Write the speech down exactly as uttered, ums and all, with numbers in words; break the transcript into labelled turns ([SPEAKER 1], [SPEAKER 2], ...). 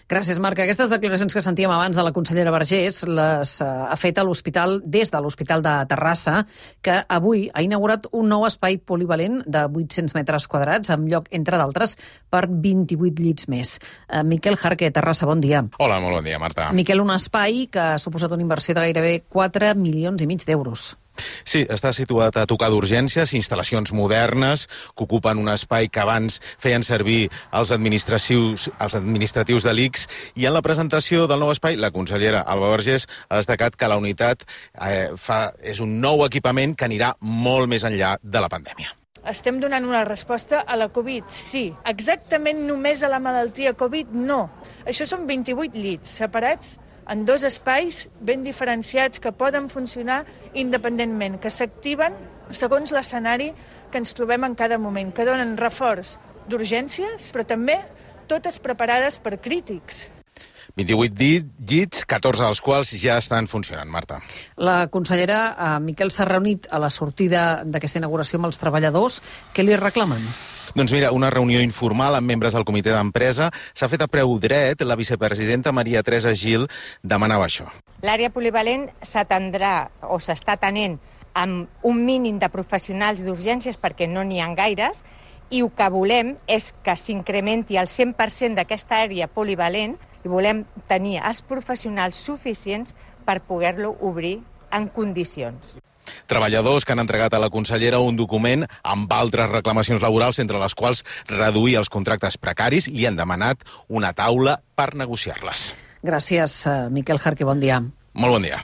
[SPEAKER 1] Gràcies, Marc. Aquestes declaracions que sentíem abans de la consellera Vergés les ha fet a l'hospital, des de l'Hospital de Terrassa, que avui ha inaugurat un nou espai polivalent de vuit-cents metres quadrats, amb lloc, entre d'altres, per vint-i-vuit llits més. Uh, Miquel Jarque, Terrassa, bon dia.
[SPEAKER 2] Hola, molt bon dia, Marta.
[SPEAKER 1] Miquel, un espai que ha suposat una inversió de gairebé quatre milions i mig d'euros.
[SPEAKER 2] Sí, està situat a tocar d'urgències, instal·lacions modernes que ocupen un espai que abans feien servir els administratius, els administratius de l'I C S, i en la presentació del nou espai, la consellera Alba Vergés ha destacat que la unitat eh, fa, és un nou equipament que anirà molt més enllà de la pandèmia.
[SPEAKER 3] Estem donant una resposta a la Covid, sí. Exactament només a la malaltia Covid, no. Això són vint-i-vuit llits separats en dos espais ben diferenciats que poden funcionar independentment, que s'activen segons l'escenari que ens trobem en cada moment, que donen reforç d'urgències, però també totes preparades per crítics.
[SPEAKER 2] vint-i-vuit llits, catorze dels quals ja estan funcionant, Marta.
[SPEAKER 1] La consellera eh, Miquel s'ha reunit a la sortida d'aquesta inauguració amb els treballadors. Què li reclamen?
[SPEAKER 2] Doncs mira, una reunió informal amb membres del comitè d'empresa s'ha fet a preu dret. La vicepresidenta Maria Teresa Gil demanava això.
[SPEAKER 4] L'àrea polivalent s'atendrà o s'està atenent amb un mínim de professionals d'urgències perquè no n'hi ha gaires, i el que volem és que s'incrementi el cent per cent d'aquesta àrea polivalent i volem tenir els professionals suficients per poder-lo obrir en condicions.
[SPEAKER 2] Treballadors que han entregat a la consellera un document amb altres reclamacions laborals, entre les quals reduir els contractes precaris, i han demanat una taula per negociar-les.
[SPEAKER 1] Gràcies, Miquel Jarque, bon dia.
[SPEAKER 2] Molt bon dia.